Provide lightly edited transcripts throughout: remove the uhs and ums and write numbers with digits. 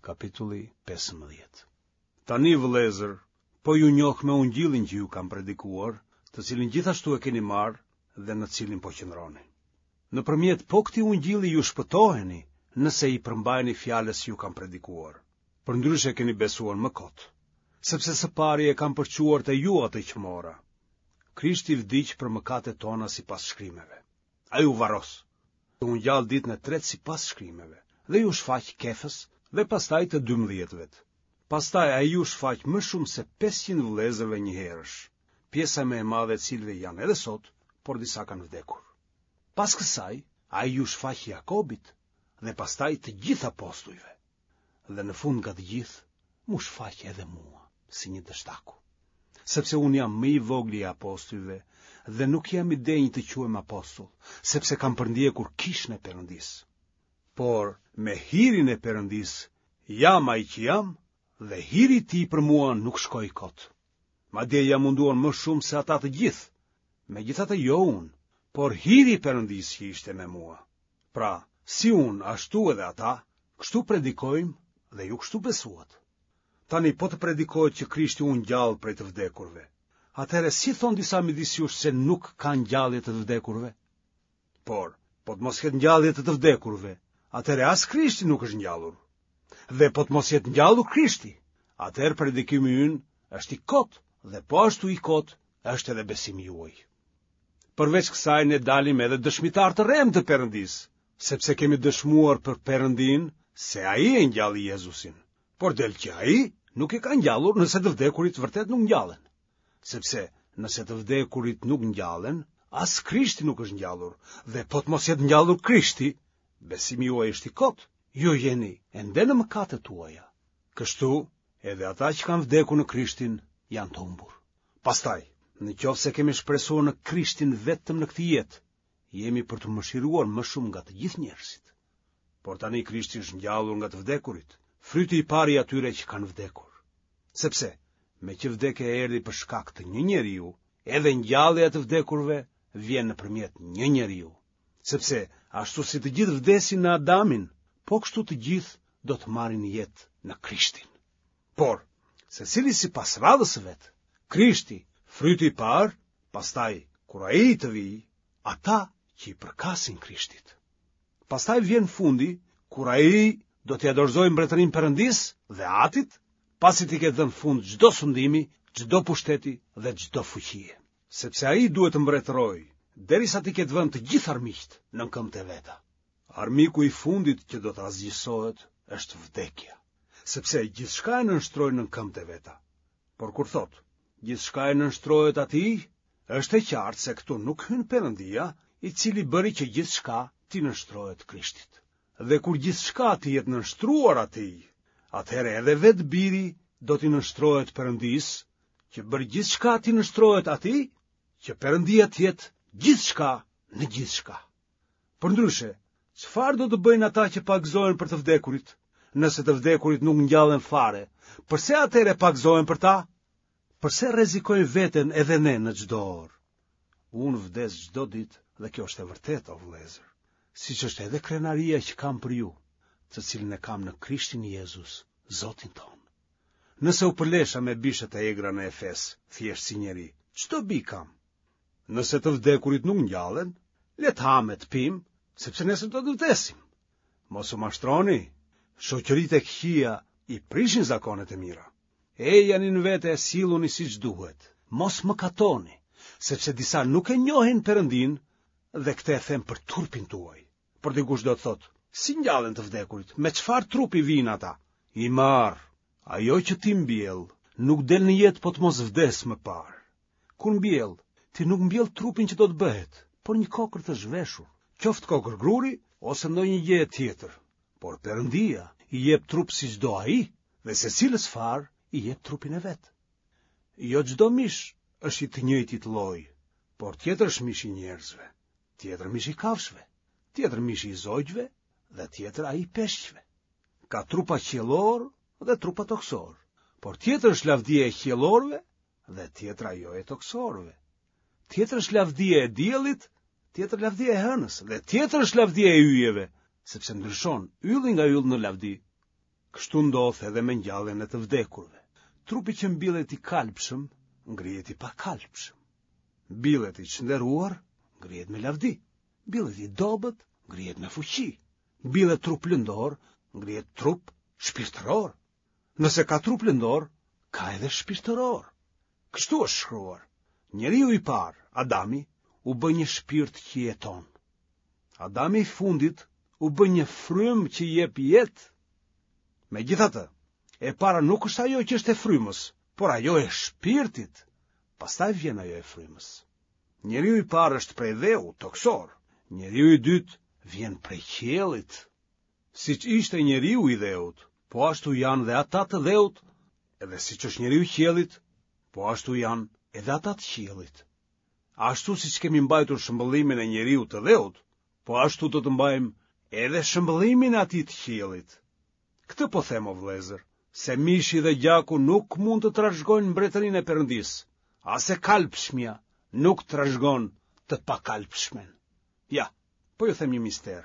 Kapitulli 15. Tani vëllezër, po ju njoh me ungjillin që ju kam predikuar, të cilin gjithashtu e keni marrë dhe në cilin po qëndroni. Nëpërmjet po këtij ungjilli ju shpëtoheni, nëse i përmbaheni fjalës që ju kam predikuar. Përndryshe keni besuar më kot, sepse së pari e kam përçuar te ju atë që mora. Krishti vdiq për mëkatet tona sipas shkrimeve. Ai u varros, u ngjall ditën e tretë sipas shkrimeve, dhe iu shfaq Kefës dhe pastaj të dymbëdhjetëve. Pastaj ai iu shfaq më shumë se 500 vëllezërve njëherësh, pjesa më e madhe e të cilëve janë edhe sot, por disa kanë vdekur. Pas kësaj, ai iu shfaq Jakobit dhe pastaj të gjithë apostujve. Dhe në fund nga të gjithë, m'u shfaq edhe mua, si një dështaku. Sepse unë jam më i vogli i apostujve dhe nuk jam i denjë të quhem apostull, sepse kam përndjekur kishën e Perëndisë. Por me hirin e Perëndisë jam ai që jam dhe hiri i tij për mua nuk shkoi kot. Madje jam munduar më shumë se ata të gjithë, megjithatë jo unë, por hiri i Perëndisë që ishte me mua. Pra, si unë, ashtu edhe ata, kështu predikojmë dhe ju kështu besuat. Tani po të predikohet që Krishti u ngjall prej të vdekurve. Atëherë si thonë disa midis jush se nuk ka ngjallje të të vdekurve? Por, po të mos ketë ngjallje të të vdekurve, atëherë as Krishti nuk është ngjallur. Dhe po të mos jetë ngjallur Krishti, atëherë predikimi ynë është i kotë dhe po ashtu i kotë është edhe besimi juaj. Përveç kësaj ne dalim edhe dëshmitarë të rremë të Perëndisë, sepse kemi dëshmuar për Perëndinë se ai e ngjalli Jezusin. Por del që ai nuk e ka ngjallur nëse të vdekurit vërtet nuk ngjallen. Sepse nëse të vdekurit nuk ngjallen, as Krishti nuk është ngjallur, dhe po të mos jetë ngjallur Krishti, besimi juaj është i kotë, ju jeni ende në mëkatet tuaja. Kështu, edhe ata që kanë vdekur në Krishtin janë të humbur. Pastaj, në qoftë se kemi shpresuar në Krishtin vetëm në këtë jetë, jemi për t'u mëshiruar më shumë nga të gjithë njerëzit. Por tani Krishti është ngjallur nga të vdekurit, fryti i parë i atyre që kanë vdekur. Sepse, meqë vdekja erdhi për shkak të një njeriu, edhe ngjallja e të vdekurve vjen nëpërmjet një njeriu. Sepse, ashtu si të gjithë vdesin në Adamin, po kështu të gjithë do të marrin jetë në Krishtin. Por, secili sipas radhës së vet, Krishti, fryti i parë, pastaj, kur ai të vijë, ata që i përkasin Krishtit. Pastaj vjen fundi, kur ai do t'ia dorëzojë mbretërinë Perëndisë dhe Atit, pasi t'i ketë dhënë fund çdo sundimi, çdo pushteti dhe çdo fuqie. Sepse ai duhet të mbretërojë, derisa t'i ketë vënë të gjithë armiqtë nën këmbët e veta. Armiku i fundit që do të asgjësohet është vdekja, sepse gjithçka e nënshtroi nën këmbët e veta. Por kur thotë, gjithçka i nënshtrohet atij, është e qartë se këtu nuk hyn Perëndia, i cili bëri që gjithçka t'i nënshtrohet Krishtit. Dhe kur gjithçka t'i jetë nënshtruar atij, atëherë edhe vetë Biri do t'i nënshtrohet Perëndisë, që bëri gjithçka t'i nënshtrohet atij, që Perëndia të jetë gjithçka në gjithçka. Përndryshe, çfarë do të bëjnë ata që pagëzohen për të vdekurit? Nëse të vdekurit nuk ngjallen fare, përse atëherë pagëzohen për ta? Përse rrezikojmë veten edhe ne në çdo orë? Unë vdes çdo ditë dhe kjo është e vërtetë, o vëllezër, siç është edhe krenaria që kam për ju, të cilën e kam në Krishtin Jezus, Zotin tonë. Nëse u përlesha me bishat e egra në Efes, thjesht si njeri, ç'dobi kam? Nëse të vdekurit nuk ngjallen, le të hamë e të pimë, sepse nesër do të vdesim. Mos u mashtroni, shoqëritë e këqija i prishin zakonet e mira. Ejani në vete e silluni siç duhet, mos mëkatoni, sepse disa nuk e njohin Perëndinë dhe këtë e them për turpin tuaj. Por dikush do të thotë, si ngjallen të vdekurit, me çfarë trupi vijnë ata? I marrë, ajo që ti mbjell, nuk del në jetë po të mos vdesë më parë. Kur mbjell, ti nuk mbjell trupin që do të bëhet, por një kokërr të zhveshur, qoftë kokërr gruri ose ndonjë gjë tjetër. Por Perëndia i jep trup siç do ai dhe secilës farë i jep trupin e vet. Jo çdo mish është i të njëjtit lloj, por tjetër është mishi i njerëzve, tjetër mishi i kafshëve, tjetër mishi i zogjve dhe tjetër ai i peshqve. Ka trupa qiellorë dhe trupa tokësorë, por tjetër është lavdia e qiellorëve dhe tjetër ajo e tokësorëve. Tjetër është lavdia e diellit, tjetër lavdia e hënës dhe tjetër është lavdia e yjeve, sepse ndryshon ylli nga ylli në lavdi. Kështu ndodh edhe me ngjalljen e të vdekurve. Trupi që mbillet i kalbshëm, ngrihet i pakalbshëm. Mbillet i çnderuar, ngrihet me lavdi. Mbillet i dobët, ngrihet me fuqi. Mbillet trup lëndor, ngrihet trup shpirtëror. Nëse ka trup lëndor, ka edhe shpirtëror. Kështu është shkruar. Njeriu i parë, Adami, u bë një shpirt që jeton. Adami i fundit u bë një frymë që jep jetë. Megjithatë, e para nuk është ajo që është e frymës, por ajo e shpirtit. Pastaj vjen ajo e frymës. Njeriu i parë është prej dheu, tokësor. Njeriu i dytë vjen prej qiellit. Siç ishte njeriu i dheut, po ashtu janë dhe ata të dheut, edhe siç është njeriu i qiellit, po ashtu janë edhe ata të qiellit. Ashtu siç kemi mbajtur shëmbëllimin e njeriut të dheut, po ashtu do të mbajmë edhe shëmbëllimin e atij të qiellit. Këtë po them o vëllezër, se mishi dhe gjaku nuk mund të trashëgojnë mbretërinë e Perëndisë, as e kalbshmja nuk trashëgon të pakalbshmen. Ja, po ju them një mister.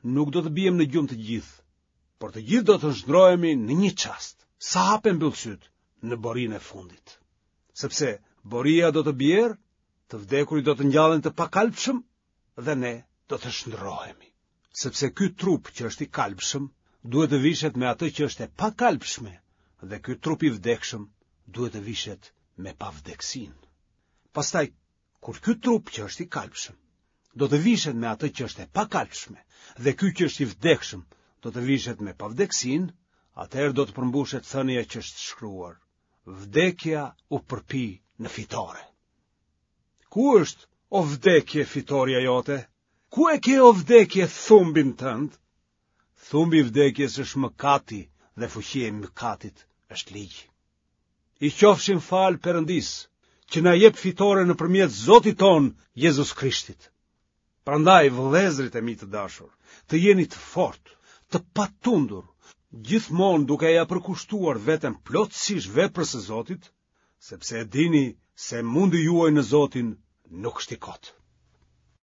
Nuk do të biem në gjumë të gjithë, por të gjithë do të shndërrohemi në një çast, sa hap e mbyll sytë në borinë e fundit. Sepse boria do të bjerë, të vdekurit do të ngjallen të pakalbshëm dhe ne do të shndërrohemi. Sepse ky trup që është i kalbshëm duhet të vishet me atë që është e pakalbshme dhe ky trup i vdekshëm duhet të vishet me pavdekësinë. Pastaj Kur ky trup që është i kalbshëm do të vishet me atë që është e pakalbshme dhe ky që është i vdekshëm do të vishet me pavdekësinë, atëherë do të përmbushet thënia që është shkruar: Vdekja u përpi në fitore. Ku është o vdekje fitorja jote? Ku e ke o vdekje thumbin tënd? Thumbi i vdekjes është mëkati dhe fuqia e mëkatit është ligji. I qofshim falë Perëndisë, që na jep fitore nëpërmjet Zotit tonë Jezus Krishtit. Prandaj vëllezërit e mi të dashur, të jeni të fortë, të patundur, gjithmonë duke ia përkushtuar veten plotësisht veprës së Zotit, sepse e dini se mundi juaj në Zotin nuk është i kotë.